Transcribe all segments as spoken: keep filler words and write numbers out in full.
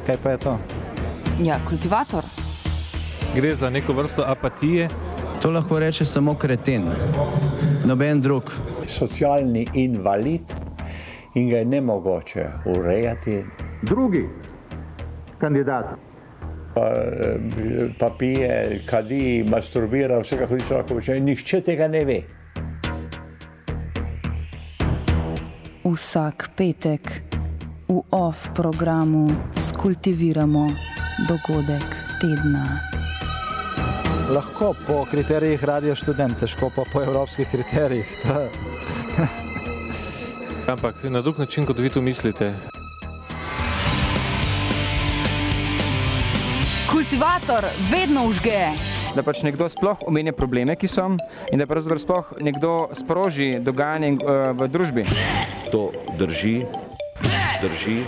kaj pa je to? Ja, kultivator. Gre za neko vrsto apatije. To lahko reče samo kreten, noben drug. Socialni invalid in ga je nemogoče urejati. Drugi kandidat. Pa, pa pije, kadi, masturbira, vsega hodi človek počne. Nihče tega ne ve. Vsak petek v off programu skultiviramo dogodek tedna. Lahko po kriterijih Radio Študent, težko pa po evropskih kriterijih. Ampak na drug način, kot vi to mislite. Kultivator vedno užge. Da pač nekdo sploh omenja probleme, ki so, in da pravzaprav sploh nekdo sproži dogajanje v družbi. To drži, drži.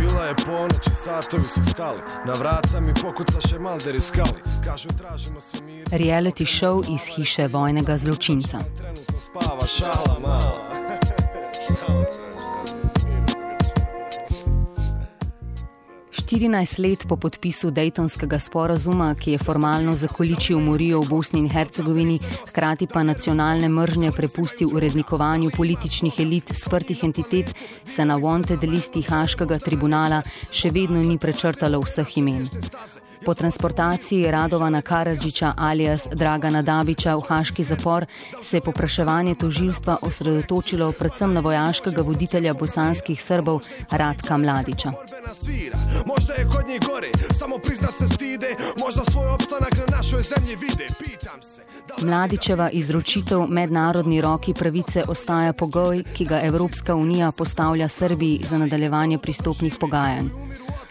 Bila je ponoć i satovi su stali, na vrata mi pokucaše malderi skali, kažu tražimo se mir. Reality show iz hiše vojnega zločinca. Trenutno spava šala mala. štirinajst let po podpisu Dejtonskega sporazuma, ki je formalno zakoličil umorijo v Bosni in Hercegovini, hkrati pa nacionalne mržnje prepustil urednikovanju političnih elit sprtih entitet, se na wanted listi Haškega tribunala še vedno ni prečrtalo vseh imen. Po transportaciji Radovana Karadžića alias Dragana Dabića v haški zapor se je popraševanje tožilstva osredotočilo predvsem na vojaškega voditelja bosanskih Srbov Ratka Mladića. Možda je kod njih gore, samo priznat se stide, možda svoj opstanak na našoj zemlji vide, pitam se. Mladićeva izročitev mednarodni roki pravice ostaja pogoj, ki ga Evropska unija postavlja Srbiji za nadaljevanje pristopnih pogajanj.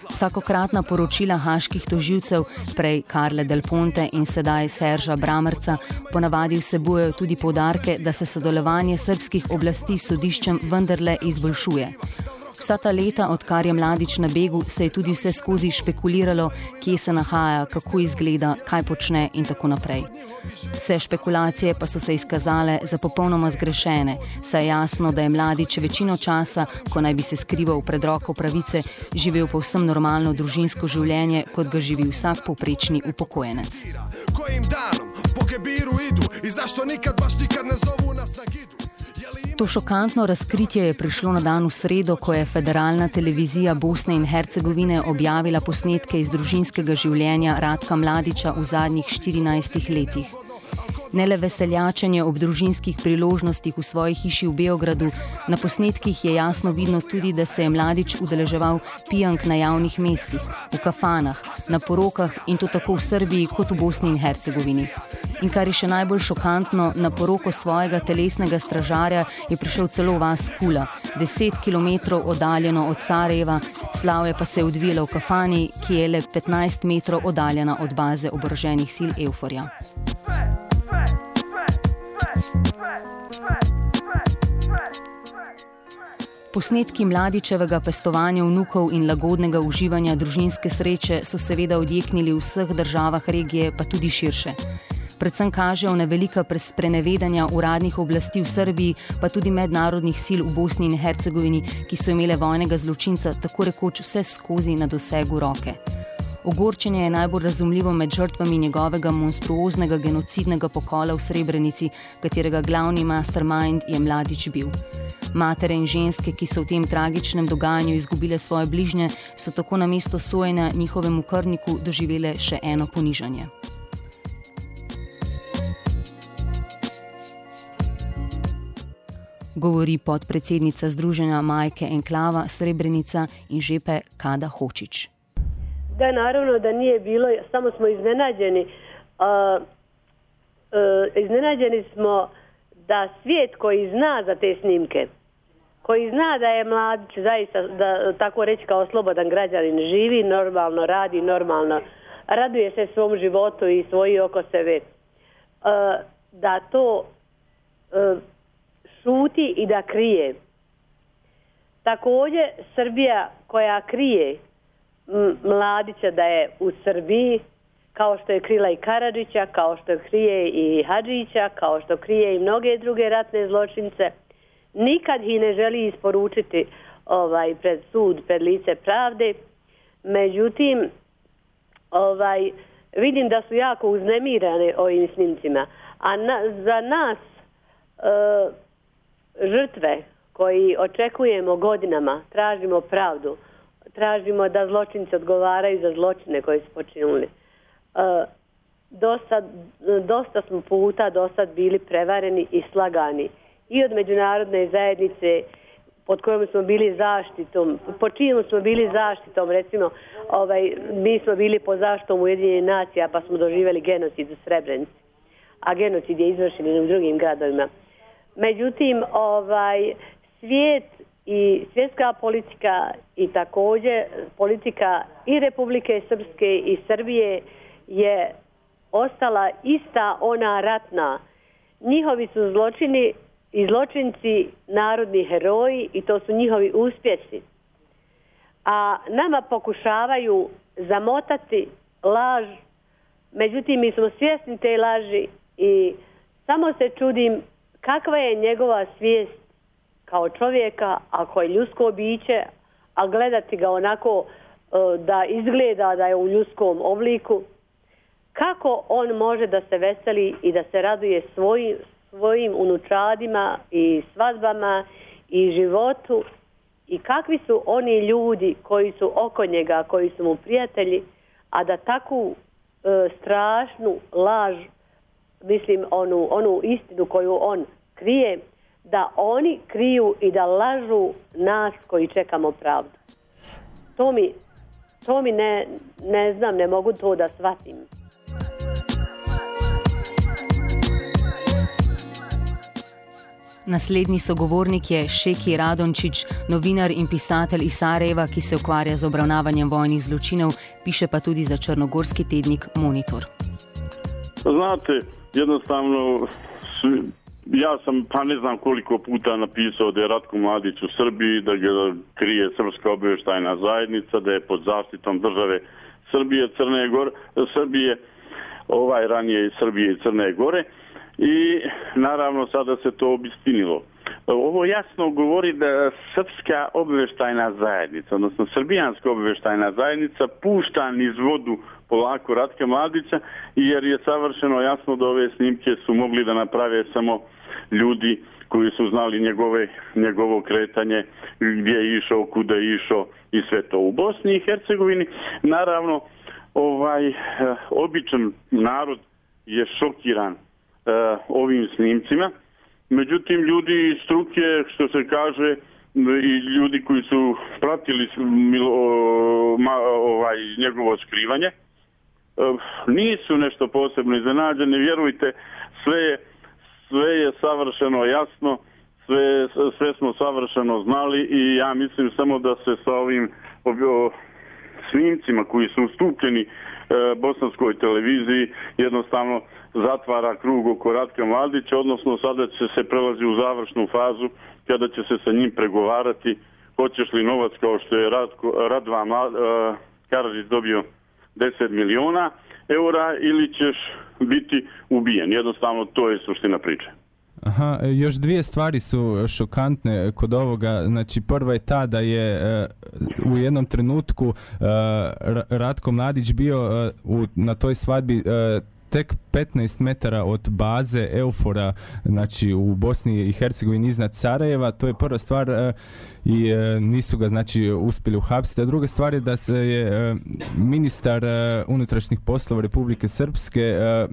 Vsakokratna poročila haških tožilcev, prej Karle Del Ponte in sedaj Serža Bramerca, ponavadi vsebujejo tudi poudarke, da se sodelovanje srbskih oblasti s sodiščem vendarle izboljšuje. Vsa ta leta, odkar je Mladić na begu, se je tudi vse skozi špekuliralo, kje se nahaja, kako izgleda, kaj počne in tako naprej. Vse špekulacije pa so se izkazale za popolnoma zgrešene, saj je jasno, da je Mladić večino časa, ko naj bi se skrival pred roko pravice, živel povsem normalno družinsko življenje, kot ga živi vsak povprečni upokojenec. Kojim danom po Kebiru idu i zašto nikad baš nikad ne zovu nas na gidu? To šokantno razkritje je prišlo na dan v sredo, ko je federalna televizija Bosne in Hercegovine objavila posnetke iz družinskega življenja Ratka Mladića v zadnjih štirinajstih letih. Ne le veseljačenje ob družinskih priložnostih v svoji hiši v Beogradu, na posnetkih je jasno vidno tudi, da se je Mladić udeleževal pijank na javnih mestih, v kafanah, na porokah in to tako v Srbiji kot v Bosni in Hercegovini. In kar je še najbolj šokantno, na poroko svojega telesnega stražarja je prišel celo v vas Kula, deset kilometrov oddaljeno od Sarajeva, slavje pa se je odvijalo v kafani, ki je le petnajst metrov oddaljena od baze oboroženih sil Euforja. Posnetki Mladićevega pestovanja vnukov in lagodnega uživanja družinske sreče so seveda odjeknili v vseh državah regije, pa tudi širše. Predvsem kažejo na velika sprenevedanja uradnih oblasti v Srbiji, pa tudi mednarodnih sil v Bosni in Hercegovini, ki so imele vojnega zločinca tako rekoč vse skozi na dosegu roke. Ogorčenje je najbolj razumljivo med žrtvami njegovega monstruoznega genocidnega pokola v Srebrenici, katerega glavni mastermind je Mladić bil. Matere in ženske, ki so v tem tragičnem dogajanju izgubile svoje bližnje, so tako namesto sojenja njihovemu krvniku doživele še eno ponižanje. Govori podpredsednica Združenja Majke Enklava Srebrenica in žepe Kada Hočić. Da, naravno da nije bilo, samo smo iznenađeni. A, a, iznenađeni smo da svijet koji zna za te snimke, koji zna da je Mladić zaista, da tako reći kao slobodan građanin, živi, normalno radi, normalno raduje se svom životu i svoji oko sebe, a, da to a, šuti i da krije. Također Srbija koja krije Mladića da je u Srbiji, kao što je krila i Karadžića, kao što krije i Hadžića, kao što krije i mnoge druge ratne zločince, nikad ih ne želi isporučiti ovaj, pred sud, pred lice pravde. Međutim, ovaj, vidim da su jako uznemirane ovim snimcima. A na, za nas e, žrtve koji očekujemo godinama, tražimo pravdu, tražimo da zločinci odgovaraju za zločine koje su počinuli. E, dosta, dosta smo puta do sad bili prevareni i slagani. I od međunarodne zajednice pod kojom smo bili zaštitom, pod čijom smo bili zaštitom, recimo, ovaj, mi smo bili pod zaštitom Ujedinjenih nacija pa smo doživjeli genocid u Srebrenici, a genocid je izvršen i u drugim gradovima. Međutim, ovaj, svijet i svjetska politika i također politika i Republike Srpske i Srbije je ostala ista ona ratna. Njihovi su zločini i zločinci narodni heroji i to su njihovi uspjesi. A nama pokušavaju zamotati laž, međutim mi smo svjesni te laži i samo se čudim kakva je njegova svijest kao čovjeka, ako je ljudsko biće, a gledati ga onako da izgleda da je u ljudskom obliku, kako on može da se veseli i da se raduje svojim svojim unučadima i svadbama i životu i kakvi su oni ljudi koji su oko njega, koji su mu prijatelji, a da takvu e, strašnu laž, mislim onu, onu istinu koju on krije, da oni kriju i da lažu nas koji čekamo pravdu. To mi, to mi ne, ne znam, ne mogu to da shvatim. Naslednji sogovornik je Šeki Radončić, novinar in pisatelj iz Sarajeva, ki se ukvarja z obravnavanjem vojnih zločinov, piše pa tudi za črnogorski tednik Monitor. Znate, jednostavno, ja sam pa ne znam koliko puta napisao da je Ratko Mladić u Srbiji, da ga krije Srpska obavještajna zajednica, da je pod zaštitom države Srbije, Crne Gore, Srbije, ovaj ranije i Srbije i Crne Gore. I naravno sada se to obistinilo. Ovo jasno govori da Srpska obavještajna zajednica, odnosno Srbijanska obavještajna zajednica pušta niz vodu polako Ratka Mladića, jer je savršeno jasno da ove snimke su mogli da naprave samo ljudi koji su znali njegove, njegovo kretanje, gdje je išao, kuda je išao i sve to. U Bosni i Hercegovini naravno ovaj običan narod je šokiran Uh, ovim snimcima. Međutim, ljudi iz struke, što se kaže, i ljudi koji su pratili milo, ma, ovaj, njegovo skrivanje, uh, nisu nešto posebno iznenađeni. Vjerujte, sve je, sve je savršeno jasno, sve, sve smo savršeno znali i ja mislim samo da se sa ovim o, snimcima koji su ustupljeni uh, bosanskoj televiziji jednostavno zatvara krug oko Ratka Mladića, odnosno sada će se prelazi u završnu fazu kada će se sa njim pregovarati hoćeš li novac kao što je Radko, Radva Mlad, uh, Karadžić dobio deset miliona eura ili ćeš biti ubijen. Jednostavno to je suština priče. Aha, još dvije stvari su šokantne kod ovoga. Znači, prva je ta da je uh, u jednom trenutku uh, Ratko Mladić bio uh, u, na toj svadbi uh, tek petnaest metara od baze Eufora, znači u Bosni i Hercegovini iznad Sarajeva. To je prva stvar e, i e, nisu ga znači uspjeli uhapsiti. A druga stvar je da se je e, ministar e, unutrašnjih poslova Republike Srpske e, e,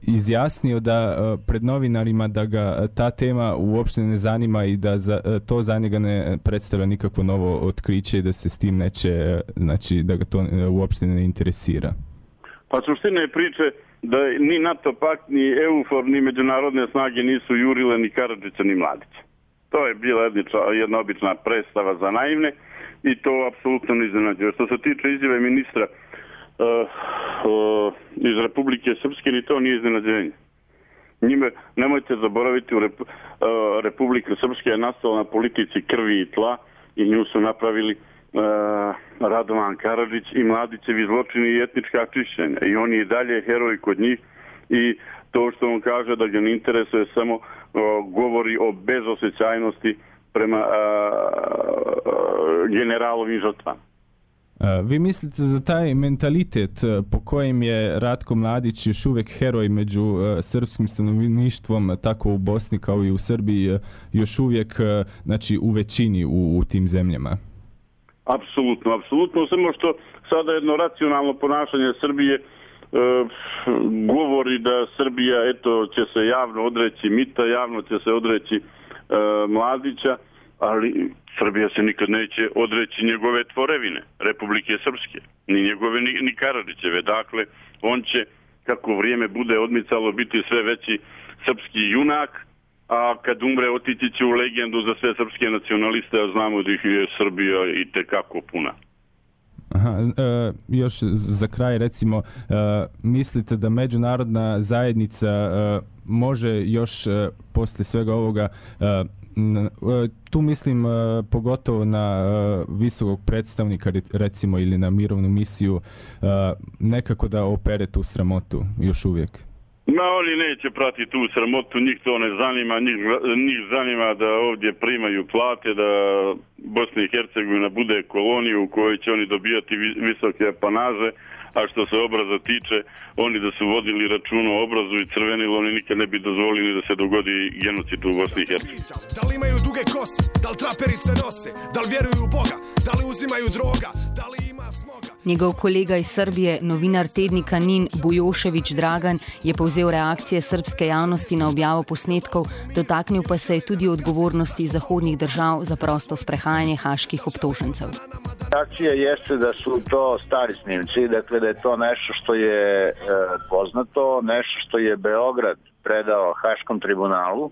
izjasnio da e, pred novinarima da ga ta tema uopšte ne zanima i da za, e, to za njega ne predstavlja nikakvo novo otkriće i da se s tim neće, e, znači da ga to e, uopšte ne interesira. Pa suština je priče da ni NATO pakt, ni EUFOR, ni međunarodne snage nisu jurile ni Karadžića, ni Mladića. To je bila jedna obična predstava za naivne i to apsolutno ne iznenađuje. Što se tiče izjave ministra uh, uh, iz Republike Srpske, ni to nije iznenađenje. Njime, nemojte zaboraviti, u Rep, uh, Republika Srpska je nastala na politici krvi i tla i nju su napravili Uh, Radovan Karadžić i Mladićevi zločini i etnička čišćenja i on je i dalje heroj kod njih i to što on kaže da ga ne interesuje samo uh, govori o bezosjećajnosti prema a, a, generalovim žrtvama. Vi mislite da taj mentalitet po kojem je Ratko Mladić još uvijek heroj među srpskim stanovništvom, tako u Bosni kao i u Srbiji, još uvijek znači, u većini u, u tim zemljama? Apsolutno, apsolutno. Samo što sada jedno racionalno ponašanje Srbije e, govori da Srbija eto, će se javno odreći mita, javno će se odreći e, Mladića, ali Srbija se nikad neće odreći njegove tvorevine, Republike Srpske, ni njegove, ni, ni Karadžićeve. Dakle, on će, kako vrijeme bude odmicalo, biti sve veći srpski junak, a kad umre otići će u legendu za sve srpske nacionaliste, a znamo da ih je Srbija i tekako puna. Aha, e, još za kraj recimo, e, mislite da međunarodna zajednica e, može još e, poslije svega ovoga, e, tu mislim pogotovo na visokog predstavnika recimo ili na mirovnu misiju, nekako da opere tu sramotu još uvijek? Ma oni neće pratiti tu sramotu, njih to ne zanima, njih, njih zanima da ovdje primaju plate, da Bosna i Hercegovina bude kolonija u kojoj će oni dobijati visoke apanaže, a što se obraza tiče, oni da su vodili račun o obrazu i crvenilo, oni nikad ne bi dozvolili da se dogodi genocid u Bosni i Hercegovini. Da li imaju duge kose, da li traperice nose, da li vjeruju u Boga, da li uzimaju droga, da li ima smoga? Njegov kolega iz Srbije, novinar tednika Nin Bujošević Dragan, je povzel reakcije srpske javnosti na objavo posnetkov, dotaknil pa se je tudi odgovornosti zahodnih držav za prosto sprehajanje haških obtožencev. Reakcija jeste da su to stari snimci, dakle da je to nešto što je e, poznato, nešto što je Beograd predao Haškom tribunalu,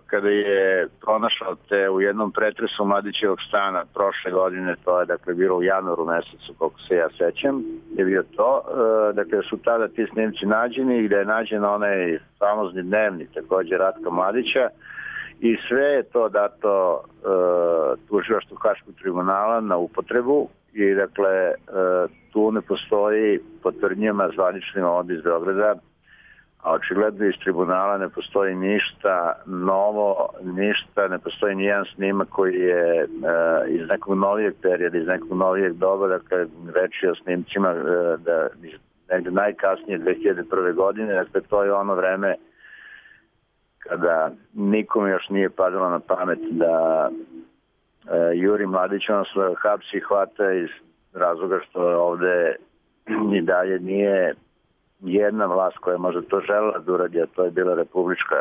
kada je pronašao te u jednom pretresu Mladićevog stana prošle godine, to je dakle bilo u januaru mesecu, koliko se ja sećam, je bio to, dakle su tada ti snimci nađeni, gde je nađen onaj famozni dnevnik također Ratka Mladića i sve je to dato uh, tužilaštvu Haškog tribunala na upotrebu i dakle uh, tu ne postoji po tvrdnjama zvaničnim ovdje iz Beograda, a očigledno iz tribunala ne postoji ništa novo, ništa, ne postoji nijedan snimak koji je uh, iz nekog novijeg perioda, iz nekog novijeg doba, dakle reči o snimcima uh, da negde najkasnije dve hiljade prve. godine, dakle to je ono vreme kada nikom još nije padalo na pamet da uh, Juri Mladić on se hapsi i hvata iz razloga što ovde i dalje nije jedna vlast koja je možda to želela da uradi, a to je bila republička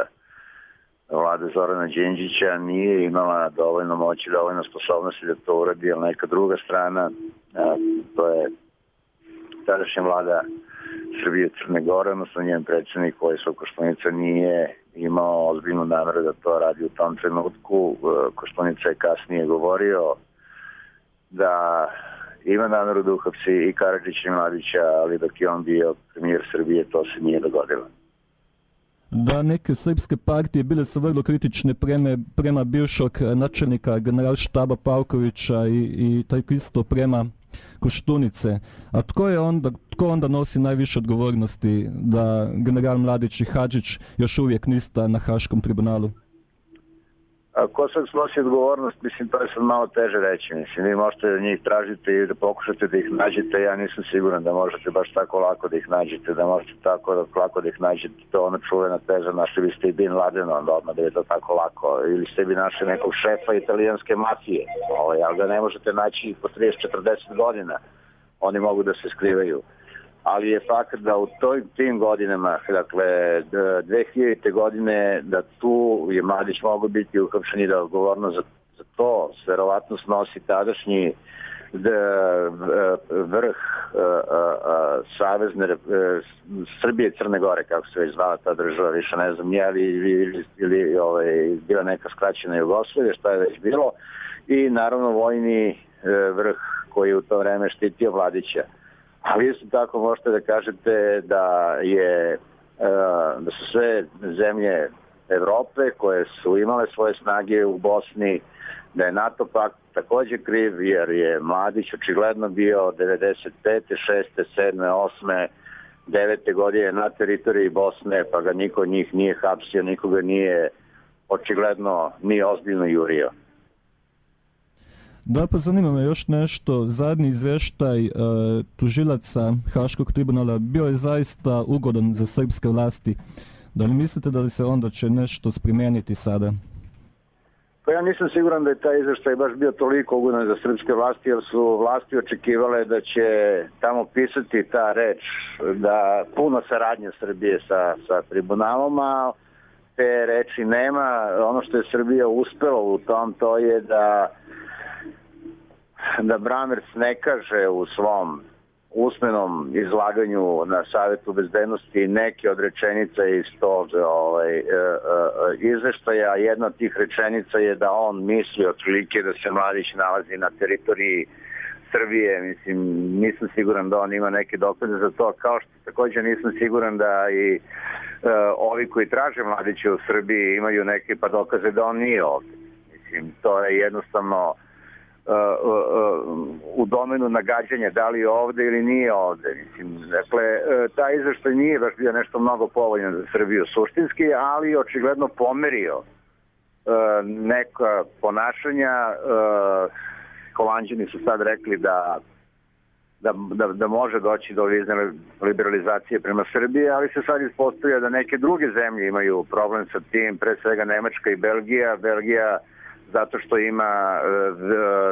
vlada Zorana Đinđića, nije imala dovoljno moći, dovoljno sposobnosti da to uradi, ali neka druga strana, a, to je tadašnja vlada Srbije i Crne Gore, odnosno njen predsjednik Vojislav Koštunica nije imao ozbiljnu nameru da to radi u tom trenutku. Koštunica je kasnije govorio da ima nameru da uhapsi i Karadžića i Mladića, ali dok je on bio premijer Srbije, to se nije dogodilo. Da, neke srpske partije bile su vrlo kritične prema, prema bivšog načelnika generalštaba Pavkovića i, i tako isto prema Koštunice. A tko je onda, tko onda nosi najviše odgovornosti da general Mladić i Hadžić još uvijek nista na Haškom tribunalu? A ko sad snosi odgovornost, mislim, to je sad malo teže reći. Mislim, vi možete njih tražiti i da pokušate da ih nađete, ja nisam siguran da možete baš tako lako da ih nađete, da možete tako lako da ih nađete. To je ona čuvena teza, našli biste i Bin Ladena, onda odmah da je to tako lako. Ili ste bi našli nekog šefa italijanske mafije, ovaj, ali ga ne možete naći po trideset do četrdeset godina. Oni mogu da se skrivaju. Ali je fakt da u toj, tim godinama, dakle dve hiljadite. godine, da tu je Mladić mogo biti uhapšen i da odgovorno za, za to verovatno snosi tadašnji d, vrh a, a, a, Savezne a, Srbije i Crne Gore, kako se već zvala ta država, više ne znam, nije li ili, ili ovaj, bila neka skraćena Jugoslavija, šta je već bilo, i naravno vojni a, vrh koji je u to vreme štitio Mladića. Ali isto tako možete da kažete da je da su sve zemlje Evrope koje su imale svoje snage u Bosni, da je NATO pakt također kriv jer je Mladić očigledno bio devedeset pete, šeste, sedme, osme, devete godine na teritoriji Bosne, pa ga niko od njih nije hapsio, nikoga nije očigledno nije ozbiljno jurio. Da, pa zanima me još nešto. Zadnji izvještaj e, tužilaca Haškog tribunala bio je zaista ugodan za srpske vlasti. Da li mislite da li se onda će nešto sprimeniti sada? Pa ja nisam siguran da je taj izvještaj baš bio toliko ugodan za srpske vlasti, jer su vlasti očekivale da će tamo pisati ta reč, da puno saradnje Srbije sa, sa tribunalom, a te reči nema. Ono što je Srbija uspela u tom, to je da da Brammertz ne kaže u svom usmenom izlaganju na Savjetu bezbednosti neke od rečenica iz tog ovaj, e, e, izveštaja. Jedna od tih rečenica je da on misli otprilike da se Mladić nalazi na teritoriji Srbije. Mislim, nisam siguran da on ima neke dokaze za to, kao što također nisam siguran da i e, ovi koji traže Mladića u Srbiji imaju neke pa dokaze da on nije ovdje. Mislim, to je jednostavno Uh, uh, uh, u domenu nagađanja da li je ovde ili nije ovde. Mislim, dakle, uh, taj izveštaj nije baš bio nešto mnogo povoljan za Srbiju suštinski, ali očigledno pomerio uh, neka ponašanja. Uh, Holanđani su sad rekli da, da, da, da može doći do vizne liberalizacije prema Srbiji, ali se sad ispostavlja da neke druge zemlje imaju problem sa tim, pre svega Nemačka i Belgija. Belgija zato što ima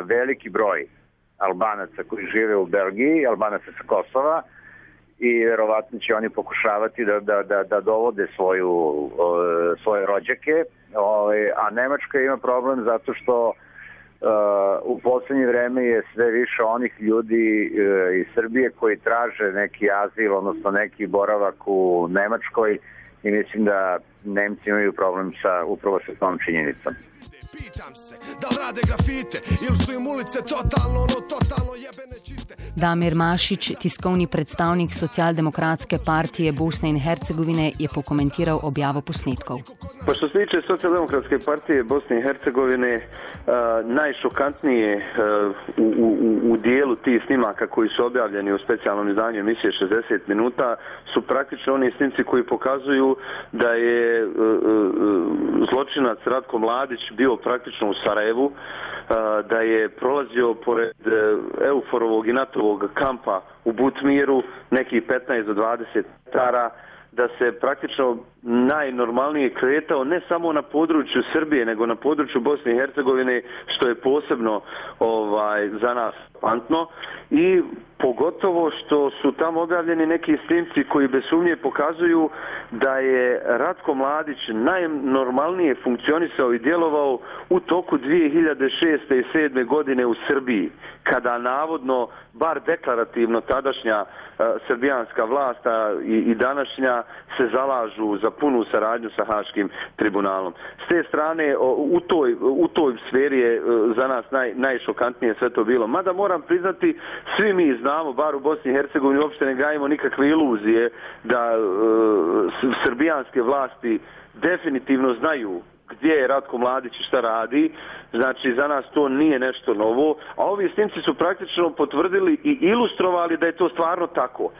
veliki broj Albanaca koji žive u Belgiji, Albanaca sa Kosova, i verovatno će oni pokušavati da, da, da, da dovode svoju, svoje rođake, a Nemačka ima problem zato što u poslednje vreme je sve više onih ljudi iz Srbije koji traže neki azil, odnosno neki boravak u Nemačkoj, i mislim da Nemci imaju problem sa, upravo sa tom činjenicom. Pitam se, da li rade grafite ili su im ulice totalno, no totalno jebene čiste. Damir Mašić, tiskovni predstavnik Socialdemokratske partije Bosne in Hercegovine, je pokomentiral objavo posnetkov. Pa što se tiče Socialdemokratske partije Bosne i Hercegovine, uh, najšokantnije uh, u, u, u dijelu tih snimaka koji su objavljeni u specijalnom izdanju emisije šezdeset minuta su praktično oni snimci koji pokazuju da je uh, uh, zločinac Ratko Mladić bio praktično u Sarajevu, da je prolazio pored Euforovog i NATO-ovog kampa u Butmiru, nekih petnaest do dvadeset metara, da se praktično najnormalnije kretao ne samo na području Srbije, nego na području Bosne i Hercegovine, što je posebno ovaj, za nas pantno, i pogotovo što su tamo objavljeni neki snimci koji bez sumnje pokazuju da je Ratko Mladić najnormalnije funkcionisao i djelovao u toku dvije hiljade šeste i sedme godine u Srbiji, kada navodno, bar deklarativno, tadašnja uh, srbijanska vlast i, i današnja se zalažu za punu saradnju sa Haškim tribunalom. S te strane, u toj, u toj sferi je uh, za nas naj, najšokantnije sve to bilo. Mada moram priznati, svi mi znamo, bar u Bosni i Hercegovini, uopšte ne gajimo nikakve iluzije da uh, srbijanske vlasti definitivno znaju gdje je Ratko Mladić i šta radi. Znači, za nas to nije nešto novo, a ovi snimci su praktično potvrdili i ilustrovali da je to stvarno tako.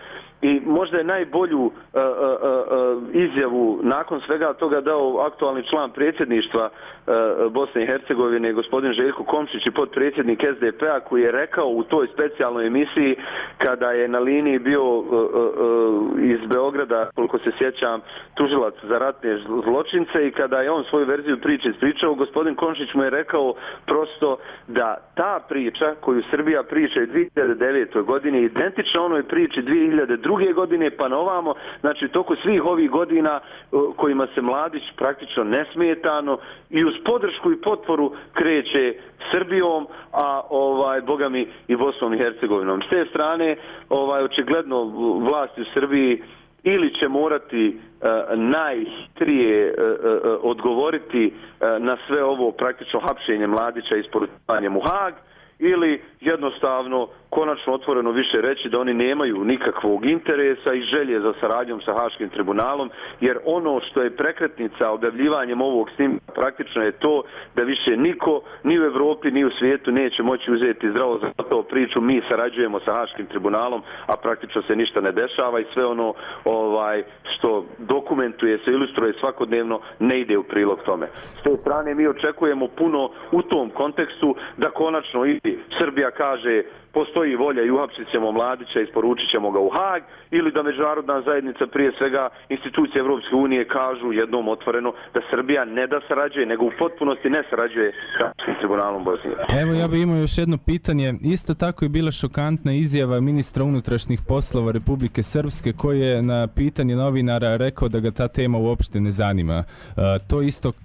I možda je najbolju uh, uh, uh, izjavu nakon svega toga dao aktualni član predsjedništva uh, Bosne i Hercegovine, gospodin Željko Komšić, i potpredsjednik S D P-a, koji je rekao u toj specijalnoj emisiji kada je na liniji bio uh, uh, iz Beograda, koliko se sjećam, tužilac za ratne zločince, i kada je on svoju verziju priče ispričao, gospodin Komšić mu je rekao prosto da ta priča koju Srbija priča u dvije hiljade devete. godini je identična onoj priči dvije hiljade druge. godine pa na ovamo, znači toku svih ovih godina kojima se Mladić praktično nesmetano i uz podršku i potporu kreće Srbijom, a ovaj bogami i Bosnom i Hercegovinom. S te strane, ovaj očigledno vlasti u Srbiji ili će morati uh, najhitrije uh, uh, odgovoriti uh, na sve ovo praktično hapšenje Mladića i isporučivanjem u Hag, ili jednostavno konačno otvoreno više reći da oni nemaju nikakvog interesa i želje za saradnjom sa Haškim tribunalom, jer ono što je prekretnica objavljivanjem ovog snimka praktično je to da više niko ni u Evropi ni u svijetu neće moći uzeti zdravo za to priču mi sarađujemo sa Haškim tribunalom, a praktično se ništa ne dešava i sve ono ovaj što dokumentuje se, ilustruje svakodnevno ne ide u prilog tome. S te strane mi očekujemo puno u tom kontekstu da konačno i Srbija kaže postoji volja i uhapsit ćemo Mladića, isporučit ćemo ga u Hag, ili da međunarodna zajednica, prije svega institucije Evropske unije, kažu jednom otvoreno da Srbija ne da sarađuje, nego u potpunosti ne sarađuje s Haškim tribunalom Bosne. Evo, ja bih imao još jedno pitanje. Isto tako je bila šokantna izjava ministra unutrašnjih poslova Republike Srpske, koji je na pitanje novinara rekao da ga ta tema uopšte ne zanima. Uh, to isto uh,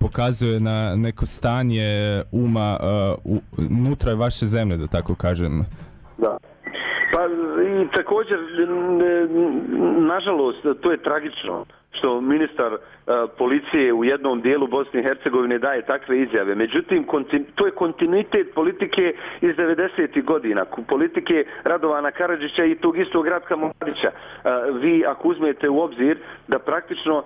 pokazuje na neko stanje uma uh, unutra vaše zemlje, da tako kažem. Da. Pa i također, nažalost, to je tragično što ministar uh, policije u jednom dijelu Bosne i Hercegovine daje takve izjave. Međutim, kontin, to je kontinuitet politike iz devedesetih godina, politike Radovana Karadžića i tog istog Ratka Mladića. Uh, vi, ako uzmete u obzir da praktično uh,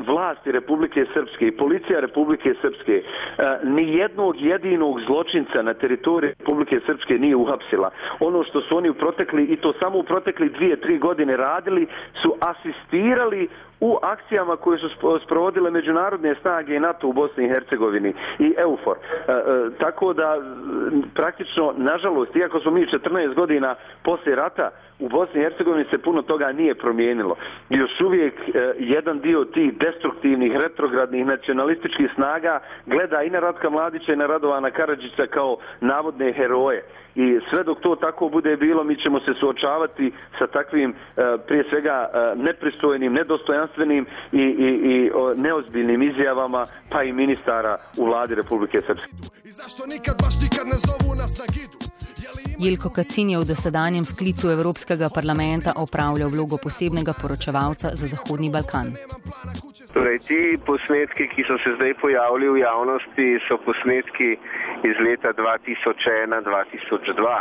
vlasti Republike Srpske i policija Republike Srpske uh, ni jednog jedinog zločinca na teritoriji Republike Srpske nije uhapsila. Ono što su oni u protekli, i to samo u protekli dvije, tri godine radili, su asistirali u akcijama koje su sprovodile međunarodne snage i NATO u Bosni i Hercegovini i EUFOR. E, e, tako da praktično, nažalost, iako smo mi četrnaest godina poslije rata, u Bosni i Hercegovini se puno toga nije promijenilo. I još uvijek e, jedan dio tih destruktivnih, retrogradnih, nacionalističkih snaga gleda i na Ratka Mladića i na Radovana Karadžića kao navodne heroje. I sve dok to tako bude bilo, mi ćemo se suočavati sa takvim, e, prije svega, e, nepristojnim, nedostojanstvenim i, i, i o, neozbiljnim izjavama, pa i ministara u vladi Republike Srpske. Jelko Kacin je v dosedanjem sklicu Evropskega parlamenta opravljal vlogo posebnega poročevalca za Zahodni Balkan. Torej, ti posnetki, ki so se zdaj pojavili v javnosti, so posnetki iz leta dva tisoč ena do dva tisoč dva.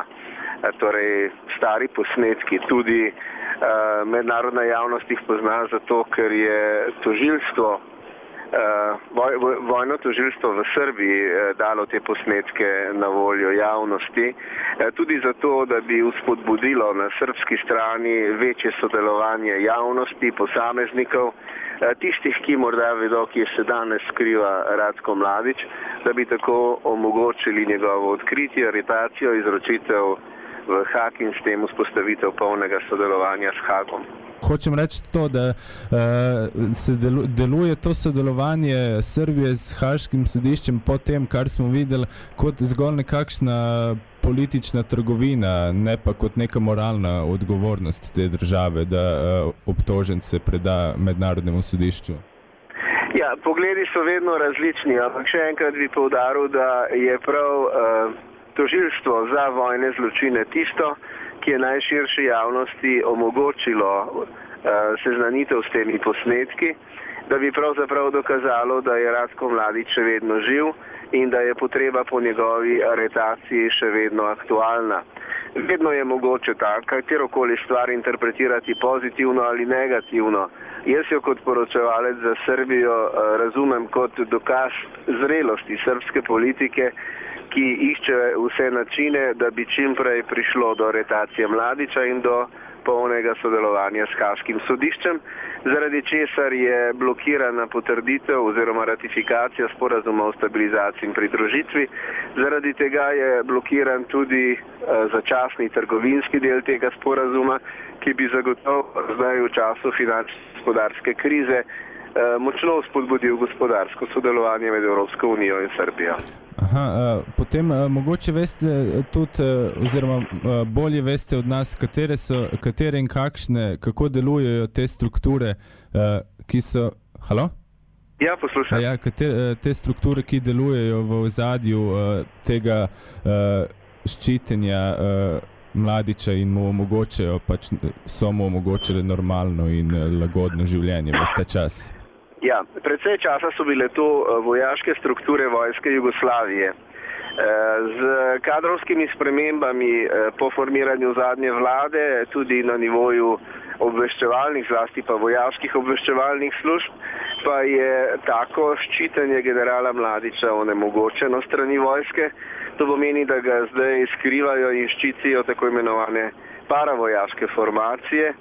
Torej, stari posnetki. Tudi uh, mednarodna javnost jih pozna zato, ker je tožilstvo Uh, voj, vojno tožilstvo v Srbiji uh, dalo te posnetke na voljo javnosti, uh, tudi zato, da bi uspodbudilo na srbski strani večje sodelovanje javnosti, posameznikov, uh, tistih, ki morda vedo, kje se danes skriva Ratko Mladić, da bi tako omogočili njegovo odkritje, aretacijo, izročitev v Hag in s tem vzpostavitev polnega sodelovanja s Hagom. Hočem reči to, da uh, se delu, deluje to sodelovanje Srbije s Haškim sodiščem po tem, kar smo videli, kot zgolj nekakšna politična trgovina, ne pa kot neka moralna odgovornost te države, da uh, obtožence preda mednarodnemu sodišču. Ja, pogledi so vedno različni, ampak še enkrat bi poudaril, da je prav uh, tožilstvo za vojne zločine tisto, ki je najširši javnosti omogočilo uh, seznanitev s temi posnetki, da bi pravzaprav dokazalo, da je Ratko Mladić še vedno živ in da je potreba po njegovi aretaciji še vedno aktualna. Vedno je mogoče ta, katerokoli stvar interpretirati pozitivno ali negativno. Jaz jo kot poročevalec za Srbijo uh, razumem kot dokaz zrelosti srbske politike, ki išče vse načine, da bi čim prej prišlo do aretacije Mladića in do polnega sodelovanja s Haškim sodiščem, zaradi česar je blokirana potrditev oziroma ratifikacija sporazuma o stabilizaciji in pridružitvi. Zaradi tega je blokiran tudi uh, začasni trgovinski del tega sporazuma, ki bi zagotovo zdaj v času finančno-gospodarske krize uh, močno spodbudil gospodarsko sodelovanje med Evropsko unijo in Srbijo. Aha, uh, potem uh, mogoče veste tudi, uh, oziroma uh, bolje veste od nas, katere so, katere in kakšne, kako delujejo te strukture, uh, ki so... Halo? Ja, poslušam. Ja, katere, te strukture, ki delujejo v ozadju uh, tega uh, ščitenja uh, Mladića in mu omogočajo, pač so mu omogočile normalno in uh, lagodno življenje ves ta čas. Ja, predvsej časa so bile to vojaške strukture vojske Jugoslavije. Z kadrovskimi spremembami po formiranju zadnje vlade, tudi na nivoju obveščevalnih, zlasti pa vojaških obveščevalnih služb, pa je tako ščitenje generala Mladića onemogočeno strani vojske. To pomeni, da ga zdaj skrivajo in ščitijo tako imenovane paravojaške formacije,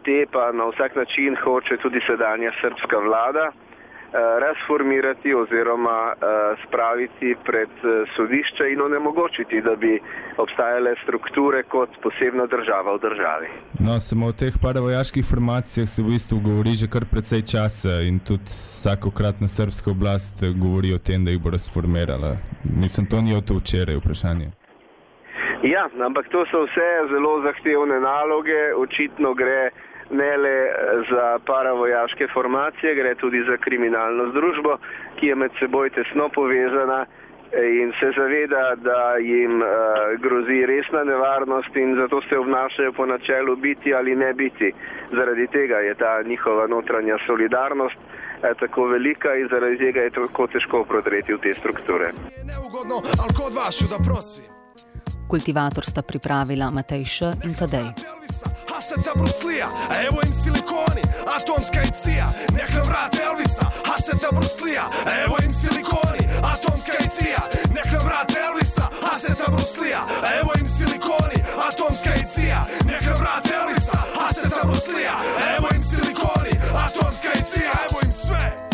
te pa na vsak način hoče tudi sedanja srbska vlada razformirati oziroma spraviti pred sodišče in onemogočiti, da bi obstajale strukture kot posebna država v državi. No, samo o teh paravojaških formacijah se v bistvu govori že kar precej časa in tudi vsakokratna srbska oblast govori o tem, da jih bo razformirala. Mislim, to ni o to včeraj vprašanje. Ja, ampak to so vse zelo zahtevne naloge, očitno gre ne le za paravojaške formacije, gre tudi za kriminalno združbo, ki je med seboj tesno povezana in se zaveda, da jim uh, grozi resna nevarnost in zato se obnašajo po načelu biti ali ne biti. Zaradi tega je ta njihova notranja solidarnost eh, tako velika in zaradi tega je tako težko prodreti v te strukture. Neugodno, ali kod vašu da prosim. Kultivator sta pripravila Matej Š. in Tadej. Haseta Bruslija, a evo im silikoni, atomska i cija, nek nam vrate Elvisa. Haseta Bruslija, a evo im silikoni, atomska i cija, nek nam vrate Elvisa. Haseta Bruslija, a evo im silikoni, atomska i cija, nek nam vrate Elvisa. Haseta Bruslija, a evo im silikoni, atomska i cija, evo im sve.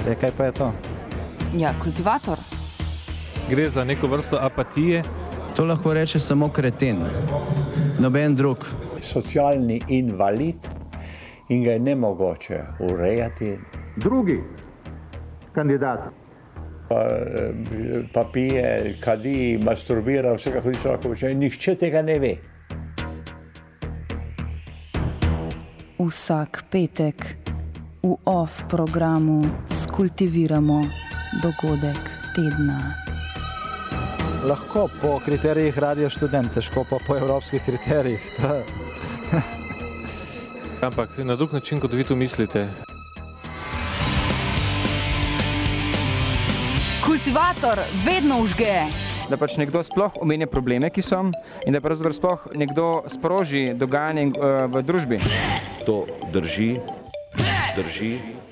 E, kaj pa je to? Ja, kultivator. Gre za neko vrsto apatije. To lahko reče samo kreten, noben drug. Socialni invalid in ga je nemogoče urejati. Drugi kandidat. Pa, pa pije, kadi, masturbira, vsega hodi človeka počne. Nihče tega ne ve. Vsak petek v off programu skultiviramo dogodek tedna. Lahko po kriterijih Radio Študent, težko pa po evropskih kriterijih. Ampak na drug način, kot vi to mislite. Kultivator vedno užge. Da pač nekdo sploh omenja probleme, ki so, in da pravzaprav sploh nekdo sproži dogajanje uh, v družbi. To drži, drži.